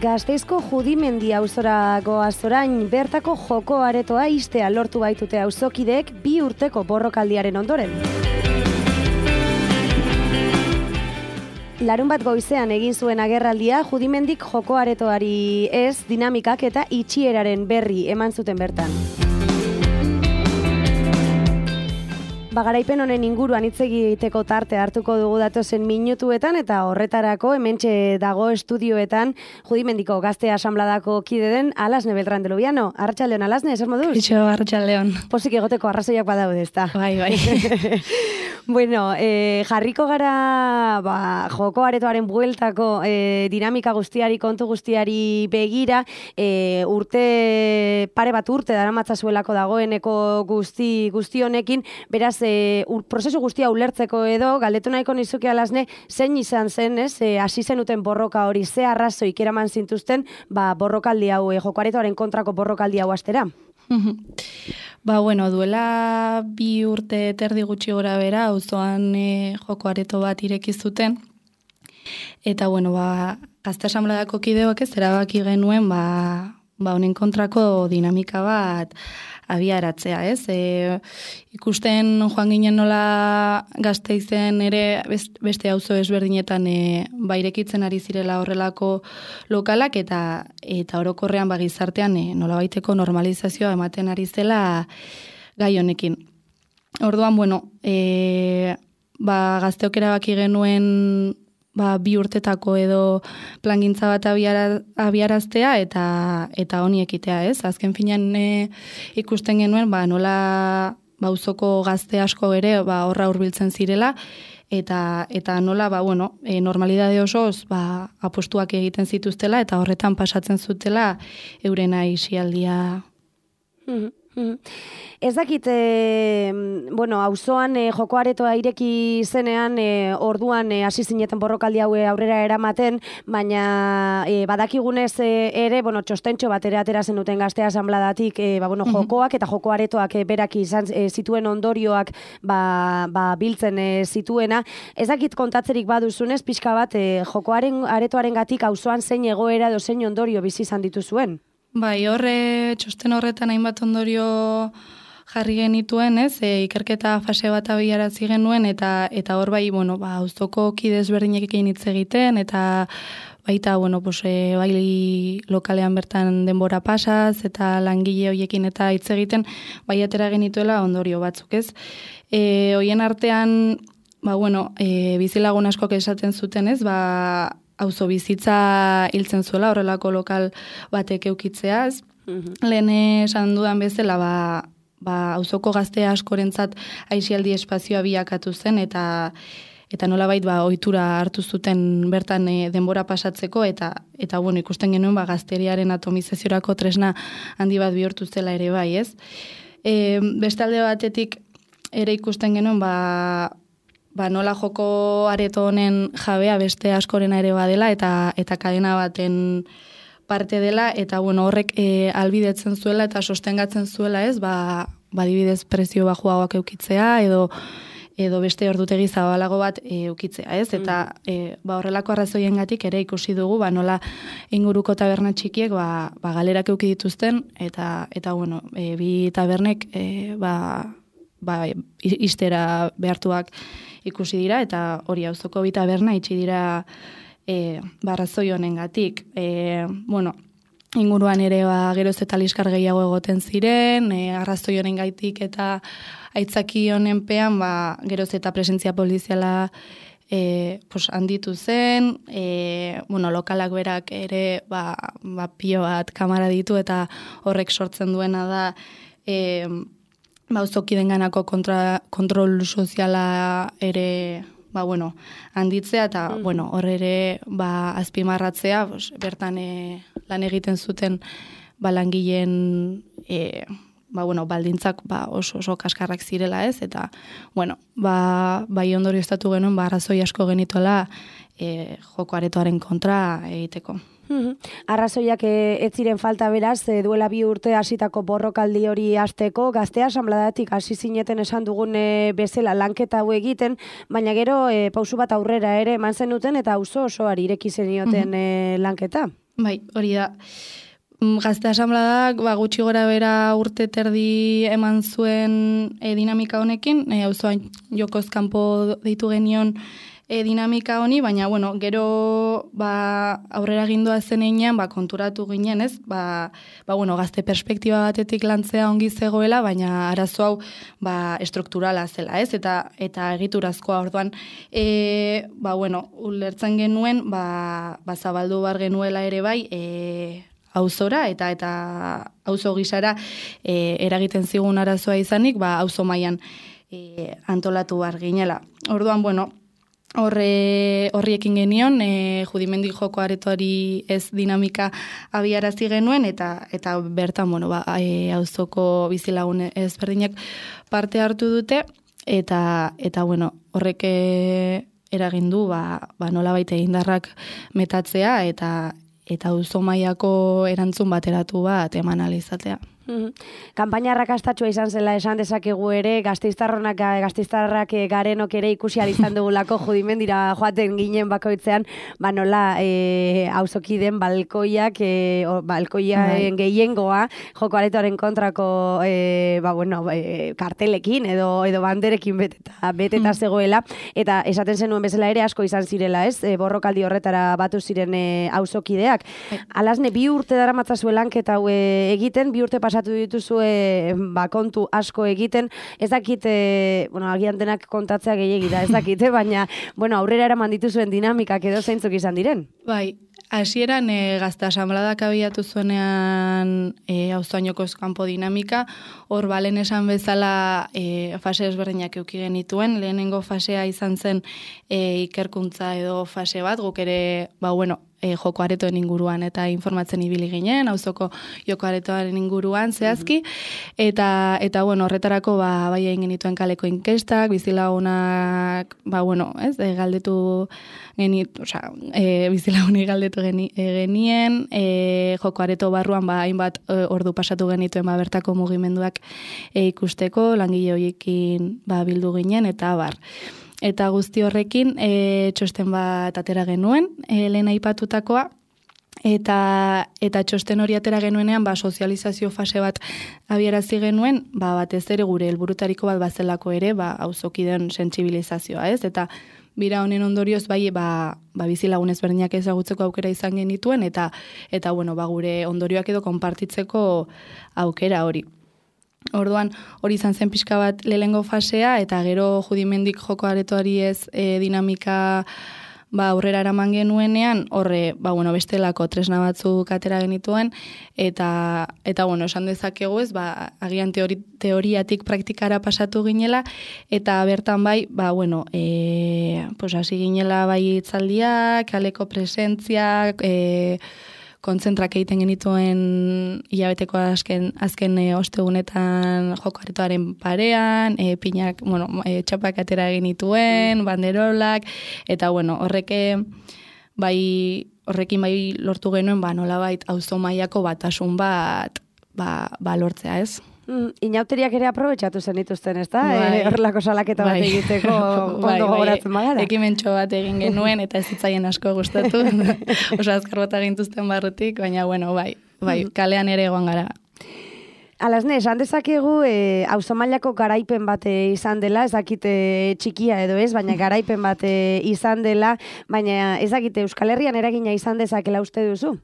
Gasteizko Judimendi auzorako azorain bertako joko aretoa istea lortu baitute auzokideek 2 urteko borrokaldiaren ondoren. Larunbat goizean egin zuen agerraldia Judimendik joko aretoari ez dinamikak eta itxieraren berri eman zuten bertan. Garaipen honen inguruan hitz egiteko tarte hartuko dugu datozen minutuetan eta horretarako hementxe dago estudioetan Judimendiko Gazte Asanbladako kide den Alasne Beltrán de Lubiano. Arratsaldeon Alasne, zer moduz? Ixo, arratsaldeon. Pozik egoteko arrazoiak badaude, ezta? Bai. Bueno, jarriko gara joko aretoaren bueltako dinamika guztiari, kontu guztiari begira, pare bat urte daramatzazuelako dagoeneko guzti honekin, beraz, prozesu guztia ulertzeko edo, galdetu nahiko nizuke Alasne, zein izan zen, hasi zenuten borroka hori, ze arrazoik eraman zintuzten, borrokaldi hau, joko aretoaren kontrako borrokaldi hau astera? Duela 2 urte terdi gutxi gora bera, auzoan joko areto bat ireki zuten. Eta, Gazte Asanbladako kideok ez erabaki genuen, honen kontrako dinamika bat abiaratzea, ez? Ikusten joan ginen nola Gasteizen ere beste auzo ezberdinetan irekitzen ari zirela horrelako lokalak eta orokorrean gizartean nolabaiteko normalizazioa ematen ari zela gai honekin. Orduan, gazteok erabaki genuen 2 urtetako edo plangintza bat abiaraztea eta honi ekitea, ez? Azken finean ikusten genuen, nola auzoko gazte asko ere horra hurbiltzen zirela eta nola, normalidade osoz apostuak egiten zituztela eta horretan pasatzen zutela euren aisialdia. Ez dakit, auzoan joko aretoa ireki zenean, orduan hasi zineten borrokaldi haue aurrera eramaten, baina badakigunez ere, txostentxo bat ere atera zenuten Gazte Asanbladatik, jokoak eta joko aretoak berak izan zituen ondorioak biltzen zituena. Ez dakit kontatzerik baduzunez, pixka bat jokoaren aretoaren gatik auzoan zein egoera edo zein ondorio bizi izan dituzuen? Txosten horretan hainbat ondorio jarri genituen, ez? Ikerketa fase bat abiarazi genuen eta hor auzoko kide ezberdinekin hitz egiten eta baita, bai lokalean bertan denbora pasaz eta langile horiekin eta hitz egiten atera genituela ondorio batzuk, ez? Hoien artean, bizilagun askok esaten zuten, ez? Auzo bizitza hiltzen zuela horrelako lokal batek eukitzea, ez? Lehen esan dudan bezala, auzoko gazte askorentzat aisialdi espazioa bilakatu zen eta nolabait ohitura hartu zuten bertan denbora pasatzeko eta ikusten genuen gazteriaren atomizaziorako tresna handi bat bihurtu zela ere bai, ez? Beste alde batetik ere ikusten genuen nola joko areto honen jabea beste askorena ere badela eta kadena baten parte dela eta horrek albidetzen zuela eta sostengatzen zuela, ez? Adibidez prezio bajuagoak eukitzea edo beste ordutegi zabalago bat eukitzea, ez? Eta horrelako arrazoiengatik ere ikusi dugu nola inguruko taberna txikiek galerak euki dituzten eta bi tabernek istera behartuak ikusi dira eta hori auzoko bi taberna itxi dira arrazoi honengatik. Inguruan ere geroz eta liskar gehiago egoten ziren, arrazoi honengatik eta aitzaki honenpean geroz eta presentzia poliziala handitu zen, lokalak berak ere pilo bat kamara ditu eta horrek sortzen duena da auzokidenganako kontrol soziala ere handitzea eta hor ere azpimarratzea bertan lan egiten zuten langileen baldintzak oso kaskarrak zirela, ez? Eta ondorio estatu genuen arrazoi asko genituela joko aretoaren kontra egiteko. Arrazoiak ez ziren falta beraz, duela 2 urte hasitako borrokaldi hori hasteko, Gazte Asanbladatik hasi zineten esan dugun bezala lanketa hau egiten, baina gero pausu bat aurrera ere eman zenuten eta auzo osoari ireki zenioten lanketa. Bai, hori da. Gazte asanbladak gutxi gora bera urte terdi eman zuen dinamika honekin, auzoan jokoz kanpo deitu genion dinamika honi, baina bueno, gero aurrera gindoa zenean konturatu ginen, ez? Bueno, gazte perspektiba batetik lantzea ongi zegoela, baina arazo hau estrukturala zela, ez? Eta egiturazkoa orduan bueno, ulertzen genuen zabaldu bar genuela ere bai auzora eta auzo gisara eragiten zigun arazoa izanik, auzo mailan antolatu bar ginela. Orduan, bueno, horriekin genion, Judimendi joko aretoari ez dinamika abiarazi genuen, eta bertan, bueno, auzoko bizilagun ezberdinak parte hartu dute, eta bueno, horrek eragin du, nolabait indarrak metatzea, eta auzo mailako erantzun bateratu bat eman ahal izatea. Kanpaina arrakastatsua izan zela esan dezakegu ere, gasteiztarrak garenok ere ikusi ahal izan dugulako Judimendira joaten ginen bakoitzean, nola auzokideen balkoiaen gehiengoa joko aretoaren kontrako kartelekin edo banderekin beteta zegoela, eta esaten zenuen bezala ere asko izan zirela, ez? Borrokaldi horretara batu ziren auzokideak. Alasne, 2 urte daramatzazue lanketa hau egiten, 2 urte pasatu dituzue kontu asko egiten, ez dakite, agian denak kontatzea gehiegi da, ez dakite, baina, aurrera eraman dituzuen dinamikak edo zeintzuk izan diren? Bai, hasieran gazte asanbladak abiatu zuenean auzoan jokoz kanpo dinamika, hor balen esan bezala fase ezberdinak eduki genituen, lehenengo fasea izan zen ikerkuntza edo fase bat, guk ere, joko aretoen inguruan eta informatzen ibili ginen, auzoko joko aretoaren inguruan zehazki, eta bueno, horretarako bai egin genituen kaleko inkestak, bizilagunak, galdetu bizilagunei galdetu genien, joko areto barruan hainbat ordu pasatu genituen bertako mugimenduak ikusteko, langile horiekin bildu ginen, eta bar. Eta guzti horrekin txosten bat atera genuen, lehen aipatutakoa, eta txosten hori atera genuenean sozializazio fase bat abiarazi genuen, batez ere gure helburutariko bat bazelako ere, auzokideen sentsibilizazioa, ez? Eta bira honen ondorioz bizilagun ezberdinak ezagutzeko aukera izan genituen, eta gure ondorioak edo konpartitzeko aukera hori. Orduan, hori izan zen pixka bat lehengo fasea, eta gero Judimendik joko aretoari ez dinamika aurrera eraman genuenean, horre, bestelako tresna batzuk atera genituen, eta esan dezakegu ez, agian teoriatik praktikara pasatu ginela, eta bertan hasi ginela hitzaldiak, kaleko presentziak, kontzentrak egiten genituen hilabeteko azken ostegunetan joko aretoaren parean, pinak, txapak atera genituen, banderolak, eta horrekin lortu genuen, nolabait auzo mailako batasun bat lortzea, ez? Inauteriak ere aprobetxatu zen dituzten, ez da? Horrelako salaketa bat egiteko ondo gogoratzen bagara. Ekimentxo bat egin genuen eta ez zitzaien asko gustatu. Oso azkar bat agintuzten barrutik, baina kalean ere egon gara. Alasne, esan dezakegu auzo mailako garaipen bat izan dela, ez dakite txikia edo ez, baina garaipen bat izan dela, baina ez dakite Euskal Herrian eragina izan dezakela uste duzu?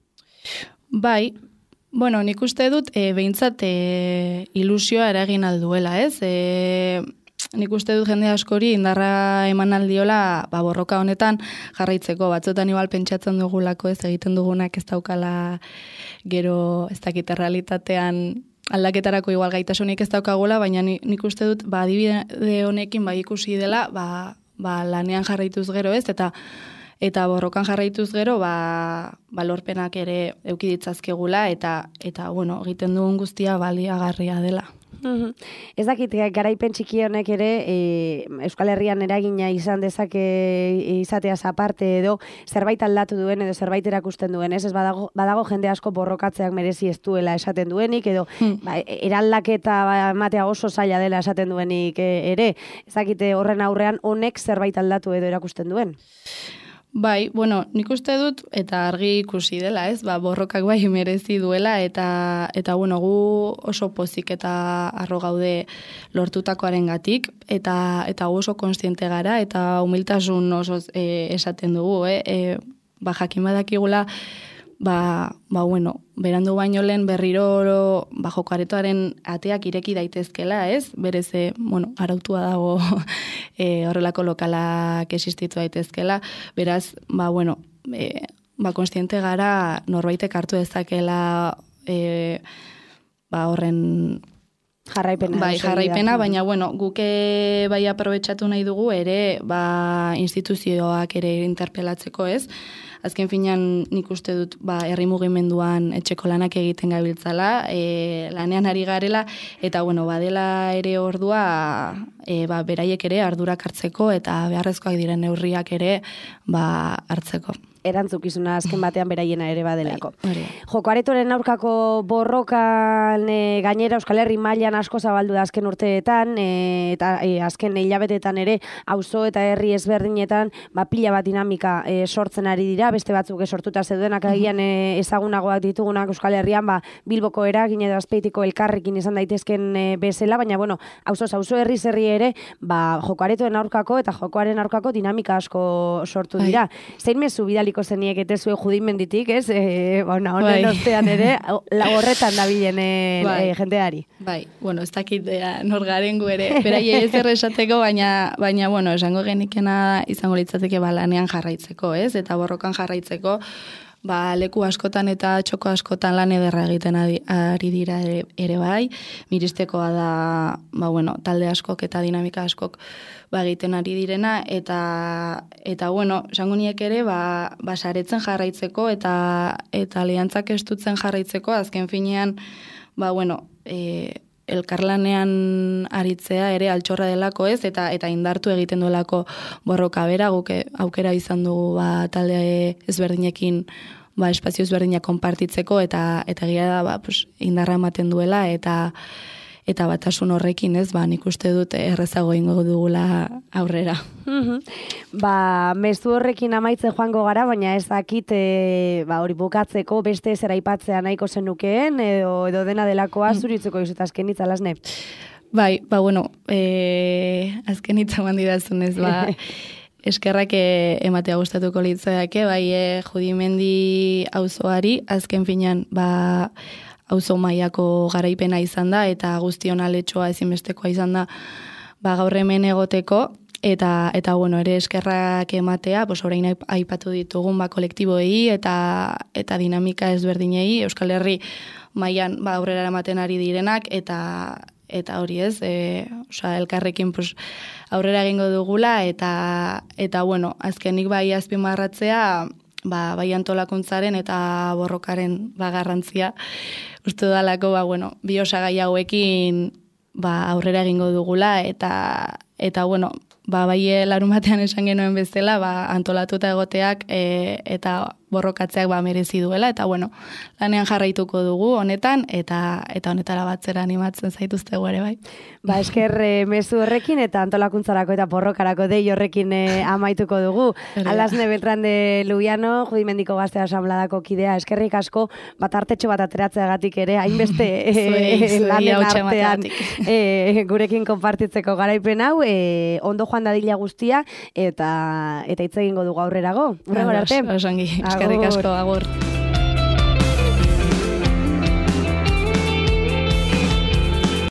Bai, nik uste dut behintzat ilusioa eragin alduela, ez? Nik uste dut jende askori indarra eman aldiola borroka honetan jarraitzeko. Batzuetan igual pentsatzen dugulako, ez egiten dugunak ez daukala gero ez dakite realitatean aldaketarako igual gaitasunik ez daukagula, baina nik uste dut adibide honekin ikusi dela lanean jarraituz gero, ez? Eta borrokan jarraituz gero, lorpenak ere eduki ditzazkegula, eta egiten dugun guztia baliagarria dela. Ez dakit, garaipen txiki honek ere Euskal Herrian eragina izan dezake izateaz aparte edo zerbait aldatu duen edo zerbait erakusten duen, ez badago jende asko borrokatzeak merezi ez duela esaten duenik edo eraldaketa ematea oso zaila dela esaten duenik ere, ez dakit horren aurrean honek zerbait aldatu edo erakusten duen? Bai, bueno, nik uste dut, eta argi ikusi dela, ez? Borrokak bai merezi duela, eta bueno, gu oso pozik eta arro gaude lortutakoarengatik, eta gu oso kontziente gara, eta humiltasun oso esaten dugu, jakin badakigula, bueno, berandu baino lehen berriro joko aretoaren ateak ireki daitezkela, ez? Berez, bueno, arautua dago horrelako lokalak existitu daitezkela, beraz, bueno, kontziente gara norbaitek hartu dezakela horren jarraipena, baina, bueno, guke bai aprobetxatu nahi dugu ere, instituzioak ere interpelatzeko, ez? Azken finean nik uste dut herri mugimenduan etxeko lanak egiten gabiltzala, lanean ari garela, eta bueno, badela ere ordua beraiek ere ardurak hartzeko eta beharrezkoak diren neurriak ere hartzeko. Erantzukizuna azken batean beraiena ere badelako. Joko aretoren aurkako borrokan gainera Euskal Herri mailan asko zabaldu da azken urteetan, eta azken hilabetetan ere auzo eta herri ezberdinetan pila bat dinamika sortzen ari dira, beste batzuk sortuta zeudenak agian ezagunagoak ditugunak Euskal Herrian, Bilboko eragin edo Azpeitiko elkarrekin izan daitezken bezala, baina bueno, auzo herri zerri ere, joko aretoren aurkako eta jokoaren aurkako dinamika asko sortu dira. Zein mezu bidaliko zeniek eta zuen judimenditik, ez? Honen ostean ere, horretan dabilen jenteari. Bai, bueno, ez dakit nor garen gu ere, berai ez erresateko, baina, bueno, esango genikena izango litzateke lanean jarraitzeko, ez? Eta borrokan jarraitzeko, leku askotan eta txoko askotan lan ederra egiten ari dira ere bai, miristekoa da, bueno, talde askok eta dinamika askok egiten ari direna, eta bueno, esango niek ere, saretzen jarraitzeko eta aliantzak estutzen jarraitzeko, azken finean, bueno, elkarlanean aritzea ere altxorra delako, ez, eta indartu egiten duelako borroka bera, guk aukera izan dugu talde ezberdinekin espazio ezberdinak konpartitzeko, eta gira da indarra ematen duela, eta batasun horrekin, ez, nik uste dut errezago ingo dugula aurrera. Mezu horrekin amaitzen joango gara, baina ez dakit hori bukatzeko beste zer aipatzea nahiko zenukeen, edo dena delakoa zuritzeko izut azken hitza, Lasne? Bai, bueno, azken hitza mandidazunez, eskerrak ematea gustatuko litzake, Judimendi auzoari, azken finean, auzo mailako garaipena izan da, eta guztion aletxoa ezinbestekoa izan da, gaur hemen egoteko, eta bueno, ere eskerrak ematea, orain aipatu ditugun kolektiboei eta dinamika ezberdinei, Euskal Herri mailan aurrera eramaten ari direnak, eta hori ez, elkarrekin aurrera egingo dugula, eta bueno, azkenik azpimarratzea, bai antolakuntzaren eta borrokaren garrantzia, uste dalako, bueno, bi osagai hauekin aurrera egingo dugula, eta bueno, bai larumatean esan genuen bezala, antolatuta egoteak eta borrokatzeak merezi duela, eta bueno, lanean jarraituko dugu honetan, eta honetara batzera animatzen zaituztegu ere, bai. Esker mezu horrekin eta antolakuntzarako eta borrokarako dei horrekin amaituko dugu. Lasne Beltrán de Lubiano, Judimendiko Gazte Asanbladako kidea, eskerrik asko, artetxo bat ateratzeagatik ere, hainbeste lanen artean gurekin konpartitzeko garaipen hau, ondo joan dadila guztia, eta hitz egingo dugu aurrerago. Urrengor arte. Osongi, eskerrik asko, agur.